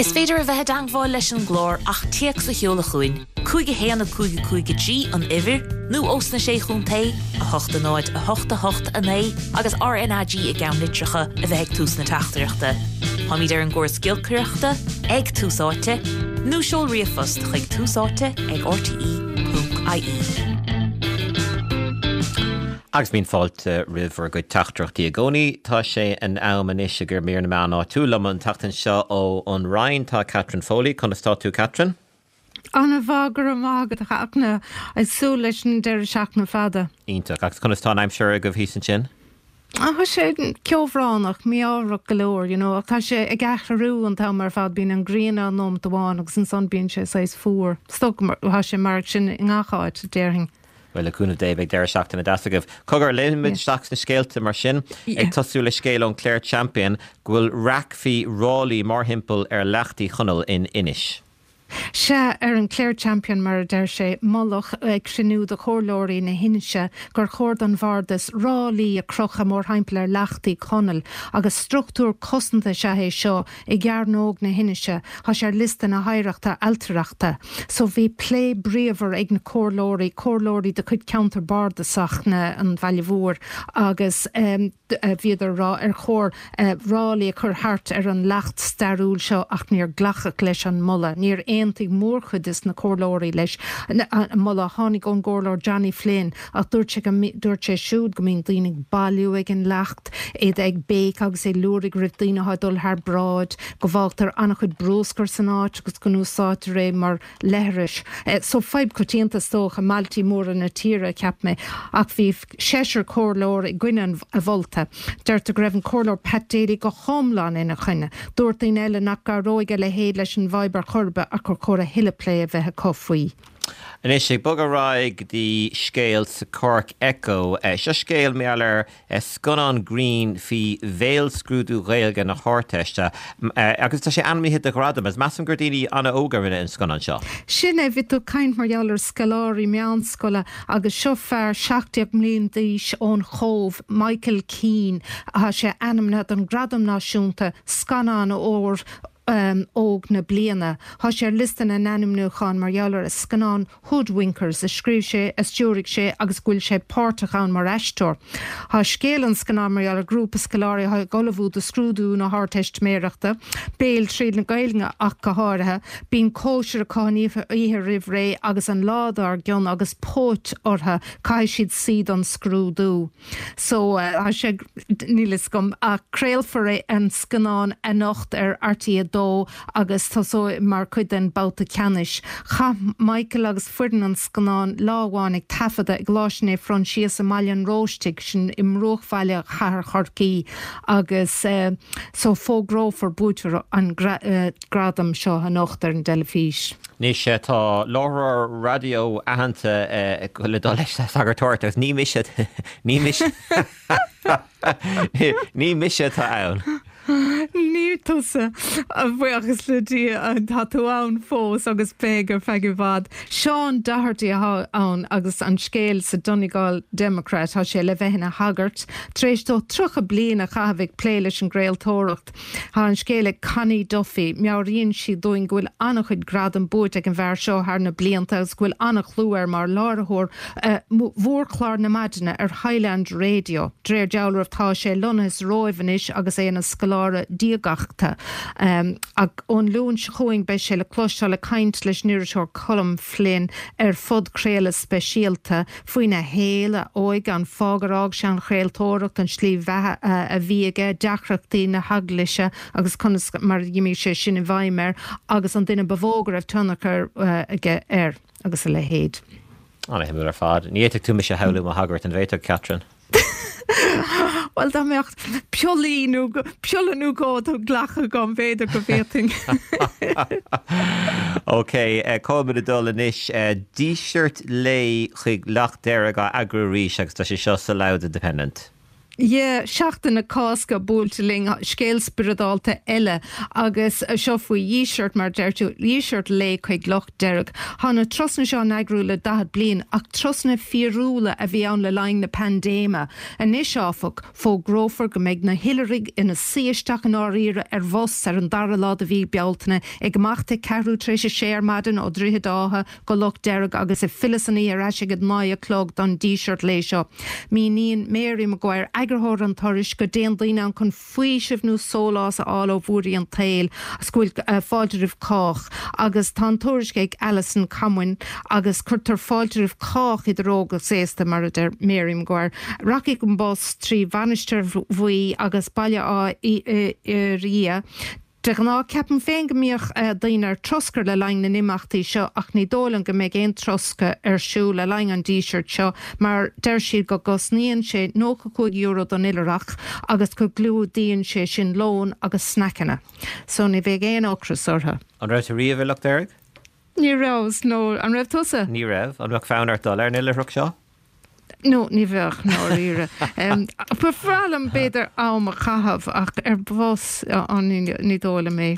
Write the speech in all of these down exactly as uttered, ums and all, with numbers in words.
Is féidir a bheith i dteagmháil leis an gclár ach téacs a sheoladh chugainn, cúig a haon a cúig a cúig a trí an uimhir, nó ós na sé chontae a hocht a náid a hocht a hocht a naoi agus RnaG i gceannlitreacha a bheith ag tús na teachtaireachta. Táimid ar an gcóras giolcaireachta ag Tús Áite, nó seol ríomhphost chuig tús áite ag rte.ie. Agus bíonn fáilte roimh bhur gcuid teachtaireachtaí i gcónaí tá sé in am anois ag mír na meán áitiúil liom an tseachtain seo ó an Rinn tá Catherine Foley conas tá tú Catherine? An-mhaith go raibh maith agat a Fhachtna ag súil leis an deireadh seachtaine fada. Iontach agus conas tá an aimsir agaibh thíos ansin? Tá sé ceobhránach mí-ádhúil go leor, you know, ach tá sé ag athrú an t-am ar fad bíonn an ghrian ann nóiméad amháin agus ansan bíonn sé saghas fuar. Stoc tá sé mar sin i ngach áit déarfainn. Well le cúnamh Dé beidh deireadh seachtaine deas agaibh. Cogar léimid isteach sna scéalta mar sin ag tosú le scéal ón Clare Champion go bhfuil raic faoi ráillí mórthimpeall ar Leacht Uí Chonaill in Inis. Sea ar an Clare Champion mar a deir sé moladh ag cruinniú de chomhairleoirí na hInse gur chóir don bhardas ráillí a chrochadh mórthimpeall ar Leacht Uí Chonaill agus struchtúr cosanta is ea é seo i gcearnóg na hInse tá sé ar liosta na hoidhreachta ailtireachta. So bhí plé bríomhar ag na comhairleoirí, comhairleoirí de chuid ceantar bardasach na an Bhaile Mhóir agus um, bhíodar rá ar chóir uh, ráillí a chur thart ar an leacht stairiúil seo ach níor glacadh leis an moladh. Níor aontaigh mórchuid de na comhairleoirí leis an moladh tháinig ón gcomhairleoir Johnny Flynn ach dúirt sé dúirt sé siúd go mbíonn daoine ag bailiú ag an leacht iad ag béic agus ag liúirigh roimh daoine ag dul thar bráid go bhfágtar an-chuid bruscair san áit agus go n-úsáidtear é mar leithreas. Eh, so fadhb coitianta is dócha i mbailtí móra na tíre cheap mé ach bhí seisear comhairleoir i gcoinne an mholta. Deirtear go raibh an comhairleoir Pat Daly go hiomlán ina choinne. Dúirt daoine eile nach gcabhródh a leithéid leis an bhfadhb ar chor ar bith ach gur chóir a thuilleadh plé a bheith acu faoi. Anois ag bogadh ar aghaidh go dtí scéal sa Cork Echo. Seo scéal mar gheall ar scannán grinn faoi bhéalscrúdú Gaeilge na hArdteiste agus tá sé ainmnithe do ghradam, is measaim gur daoine an-óga rinne an scannán seo. Sin é bhí tú ag caint mar gheall ar scoláirí meánscoile agus seo fear seacht déag mbliain d'aois ón Chóbh, Michael Keane, tá sé ainmnithe don Gradam Náisiúnta scannán ór um, óg na bliana. Tá sé ar liosta na n-ainmniúchán mar gheall ar a scannán Hoodwinkers a scríobh sé a stiúraigh sé agus go bhfuil sé páirteach ann mar aisteoir. Tá scéal an scannáin mar gheall ar grúpa scoláirí ag ullmhú do scrúdú na hArdteistiméireachta, béil tríd na Gaeilge ach go háirithe, bíonn cóisir acu an oíche roimh ré agus an lá dár gcionn agus póit orthu caithfidh siad suí don scrúdú. So uh, sé níl a fhios agam ach craolfar é an scannán anocht ar RTÉ dó agus tá mar chuid den babhta ceannais. Chaith Michael agus foireann an scannáin lá amháin ag taifeadadh i gColáiste Naomh Proinsias i mBaile an Róistigh sin i mbruachbhaile chathair Chorcaí agus uh, so fógrófar buaiteoir an gra uh, gradam seo anocht ar an teilifís. Anois tá láithreoir raidió aitheanta uh, le dul leis sagartóireacht agus ní mise ní mise ní mise atá ann. Ní tusa a bhuíochas le Dia tá tú ann fós agus beidh ar feadh i bhfad. Seán Doherty atá ann agus an scéal sa Donegal Democrat tá sé le bheith ina shagart, tar éis dó tríocha bliain a chaitheamh ag plé leis an gcraoltóireacht. Tá an scéal ag Connie Duffy, meabhraíonn sí dúinn go bhfuil an-chuid gradam buaite ag an bhfear seo thar na blianta agus go bhfuil an-chlú air mar láithreoir uh, mhórchlár na maidine ar Highland Radio. De réir dealraimh tá sé lonnaithe sa Róimh anois agus é ina scoláire diagachta. Um, ach ón Luan seo chugainn beidh sé le cloisteáil ag caint leis an iriseoir Colm Flynn ar phodchraoladh speisialta faoina shaol a óige an fáth gur fhág sé an chraoltóireacht an slí bheatha a bhí aige deacrachtaí na heaglaise agus conas mar a d'imigh sé sin i bhfeidhm air agus an duine ba mhó go raibh tionchar uh, aige air agus a leithéid. An-shuimiúil ar fad. Ní fhéadfadh tú mise a shamhlú mar shagart an bhféadfadh Catherine. Well dá mbeadh piollaí nó piolla nó dhó á nglacadh agam b'fhéidir go bhféadfainn. Ok, Cá dul anois díseart lae chuig Leacht Dearg á eagrú arís agus tá sé seo sa Louth Independent. Yeah, Seachtain na Cásca buailte linn scéal spioradálta eile agus seo faoi dhíseart mar deir tú díseart lae chuig Loch Deirg. Tá na turasanna seo á n-eagrú le daichead bliain ach turasanna fíorúla a bhí ann le linn na paindéime. Anois áfach, fógrófar go mbeidh na hoilithrigh ina suí isteach i ndáiríre ar bhus ar an dara lá de mhí Bealtaine ag imeacht ag ceathrú tar éis a sé ar maidin ó Droichead Átha go Loch Deirg agus ag filleadh san oíche ar ais ag a naoi a chlog don díseart lae seo. Míníonn Mary Maguire eagarthóir an turais go dtéann daoine ann chun faoiseamh nó sólás a fháil ó bhuarthaí an tsaoil agus go bhfuil fáilte roimh chách agus tá an tuairisc ag Alison Comyn agus cuirtear fáilte roimh chách idir óg agus aosta mar a deir Mary Maguire. Rachaidh an bus trí Mhainistir Bhuí agus Baile Átha Fhirdhia. De ghnáth ceapaim féin go mbíodh daoine ar troscar le linn na n-imeachtaí seo ach ní dóigh liom go mbeidh aon troscadh ar siúl le linn an dísirt seo mar deir siad go gcosnaíonn sé nócha cúig euro don oilithreach agus go gclúdaíonn sé sin lón agus sneaiceanna. So ní bheidh aon ocras orthu. An raibh tú riamh i Loch Deirg? Ní raibh, no. An raibh tusa? Ní raibh. An mbeadh fonn ort dul ar an oilithreacht seo? No, ní bheadh ndáiríre. Ba bhreá liom b'fhéidir am a chaitheamh ach ar bhus ní dóigh liom é.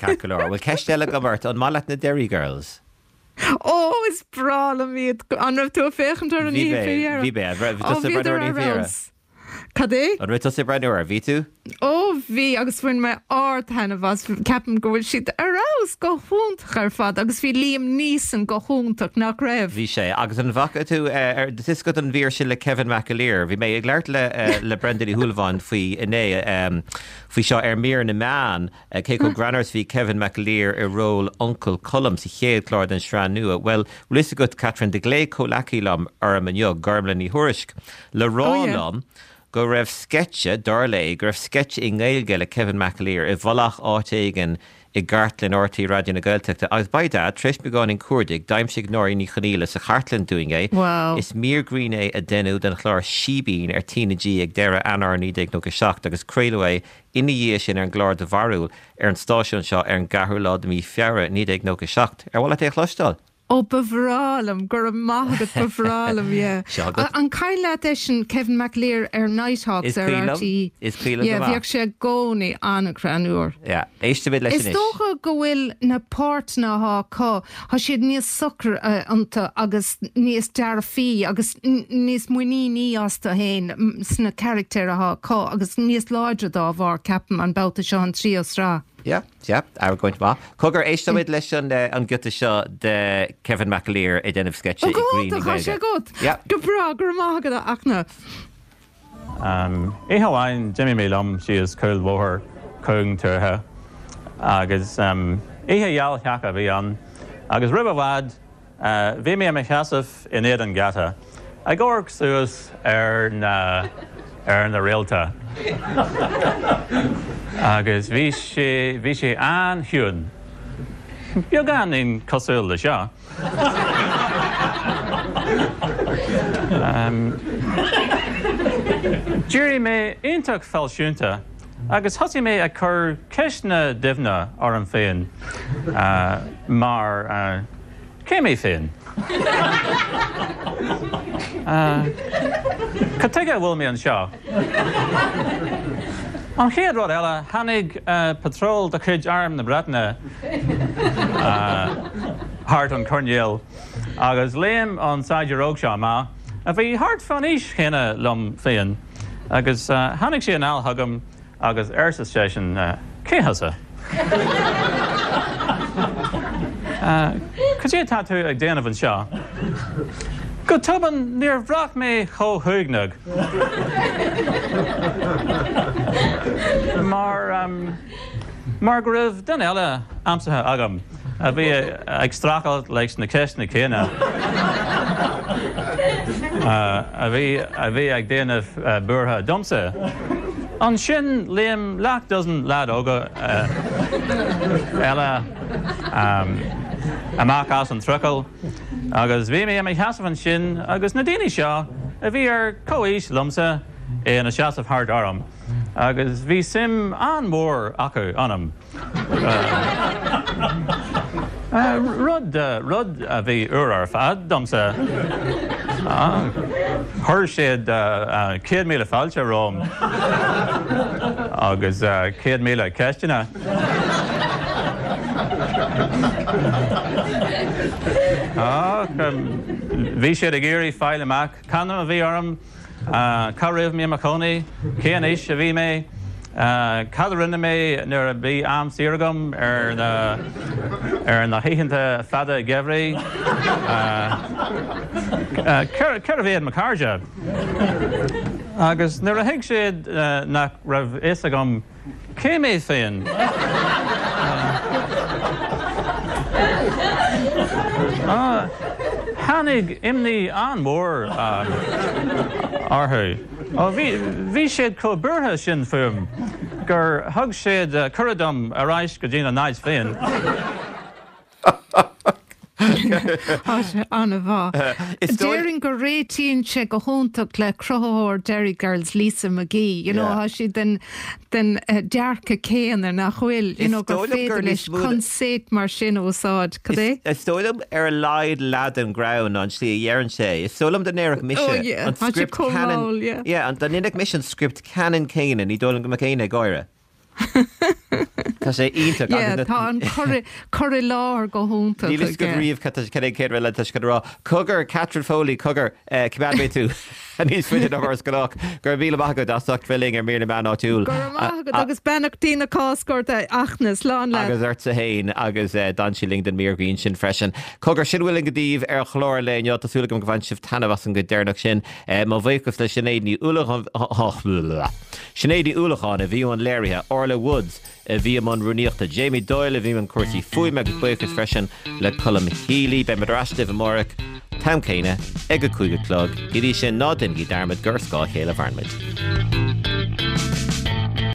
Ceart go leor. Bhfuil ceist eile agam ort, an maith leat na Derry Girls? Ó is breá liom iad an raibh tú ag féachaint ar an Bhí mé, bhí mé, bhí tusa ag breathnú ar an oíche Cad é? An raibh tusa ag breathnú air, bhí tú? Ó bhí agus bhain mé ardtaitneamh as ceapaim go bhfuil siad ar fheabhas go hiontach ar fad agus bhí Liam Neeson go hiontach nach raibh. Bhí sé agus an bhfaca tú ar tuiscint an mhír sin le Kevin McAleer, bhí mé ag labhairt le le Brendan Uí Shúilleabháin faoi inné faoi seo ar mír na meán cé chomh greannmhar is bhí Kevin McAleer i ról Uncail Colm sa chéad chlár den sraith nua. Bhuel, bhfuil fhios agat Catherine do ghlaoigh comhleacaí liom orm inniu, Gormlaith Ní Thuairisg, le rá liom go raibh sceitse, dar léi, go raibh sceitse i nGaeilge le Kevin McAleer i bhfolach áit éigin i gcartlann RTÉ Raidió na Gaeltachta agus by dad, tar éis beagáinín cuardaigh, d'aimsigh Nóirín Ní Chonaola sa chartlann dúinn é. Wow. Is mír grinn é a deineadh den chlár Síbín ar T na G ag deireadh Eanáir naoi déag nócha seacht agus craoladh é ina dhiaidh sin ar an gclár Do Bharúil ar an stáisiún seo ar an gceathrú lá de mhí Feabhra naoi déag nócha seacht. Ar mhaith leat é a chloisteáil? Ó ba bhreá liom, go raibh maith agat, ba bhreá liom, yeah. Seo agat. An cuimhin leat eisean Kevin McAleer ar Nighthawks Is ar cuimhin liom, RTÉ? is cuimhin liom go Yeah, maith. bhíodh sé i gcónaí an-ghreannmhar. Yeah, éistimid leis Is anois. dócha go bhfuil na páirteanna atá acu, tá siad níos socra iontu agus níos dearfaí agus níos muiníní astu féin sna carachtair atá acu agus níos láidre dá bharr, ceapaim, an babhta seo an tríú sraith. Yeah, yeah, argóint maith. Cogar éistimid leis an eh, an giota seo de Kevin McAleer ag déanamh sceitse i Ó grinn go i tá sé Gaeilge. agat. Yeah. Go breá go raibh maith agat a Fhachtna. Um, Oíche amháin d'imigh mé liom síos cúlbhóthar cúng tuaithe agus um, oíche gheal sheaca a bhí ann, agus roimh i bhfad uh, bhí mé i mo sheasamh in éadan geata, ag amharc suas ar na ar na réalta. Agus bhí sé bhí sé an-chiúin. Beagáinín cosúil le seo. D'éirigh mé iontach fealsúnta agus thosaigh mé ag cur ceisteanna doimhne orm féin mar Cé mé féin? Cad tuige a bhfuil mé anseo? An chéad rud eile, tháinig patról de chuid Arm na Breataine thart an coirnéal agus léim an saighdiúir óg seo amach, a bhí thart fán aois chéanna liom féin, agus tháinig sé anall chugam Agus arsa seisean, Cé thusa? Cad é atá tú ag déanamh anseo? Go tobann níor bhraith mé chomh huaigneach mar mar go raibh duine eile aimsithe agam a bhí ag streachailt leis na ceisteanna céanna, a bhí a bhí ag déanamh buartha domsa. Ansin léim leath dozen leaid óga eile amach as an trucail agus bhí mé i mo sheasamh ansin agus na daoine seo a bhí ar comhaois liomsa ina seasamh thart orm agus bhí suim an-mhór acu ionam. Rud, rud a bhí úr ar fad domsa. Chuir siad céad míle fáilte romham agus céad míle ceisteanna. Bhí siad ag iarraidh fáil amach c'ainm a bhí orm, cá raibh mé i mo chónaí, cén aois a bhí mé, cad a rinne mé nuair a bhí am saor agam ar na ar na hoícheanta fada geimhridh, cérbh iad mo chairde. Agus nuair a thuig siad nach raibh fhios agam cé mé féin, tháinig imní an-mhór orthu. Bhí siad chomh buartha sin fúm gur thug siad cuireadh dom ar ais go dtína n-áit féin. Tá sé an-mhaith. Déarfainn go réitíonn sé go hiontach le cruthaitheoir Derry Girls, Lisa McGee. You know, tá siad den den dearcadh céanna, nach bhfuil? You know, gur féidir leis consaeit mar sin a úsáid. Cad é? Is dóigh liom ar a laghad leath den ghreann ná an tslí a dheireann sé. Is dóigh liom dá ndéarfadh mise an script ceannann, yeah, dá ndéanfadh mise an script ceannann céanna, ní dóigh liom go mbeadh éinne ag gáire. Tá sé iontach agus na. Tá an cur i láthair go hiontach Níl fhios agat riamh cad é céad rud eile atá siad chun a rá. Cogar, Catherine Foley, cogar, coimeádfaidh mé tú níos faide ná mar is gnách. Go raibh míle maith agat as ucht bheith linn ar Mír na Meán Áitiúil. Go raibh maith agat agus beannachtaí na Cásca ort a Fhachtna, slán leat. Agus ortsa féin agus d'fhan sí linn don mír ghrinn sin freisin. Cogar, sin a bhfuil againn daoibh ar an chlár lae inniu. Tá súil agam go bhain sibh taitneamh as an gcuid deireanach sin. Mo bhuíochas le Sinéad Ní Uallacháin. Sinéad Ní Uallacháin a bhí i mbun léirithe, Orla Woods a bhí i mbun rúnaíochta, Jamie Doyle a bhí i mbun cúrsaí fuaime agus buíochas freisin le Colm Healy. Beidh muid ar ais libh amárach, t-am céanna, ag a cúig a chlog. Go dtí sin, ná déanaigí dearmad gur ar scáth a chéile a mhaireann muid.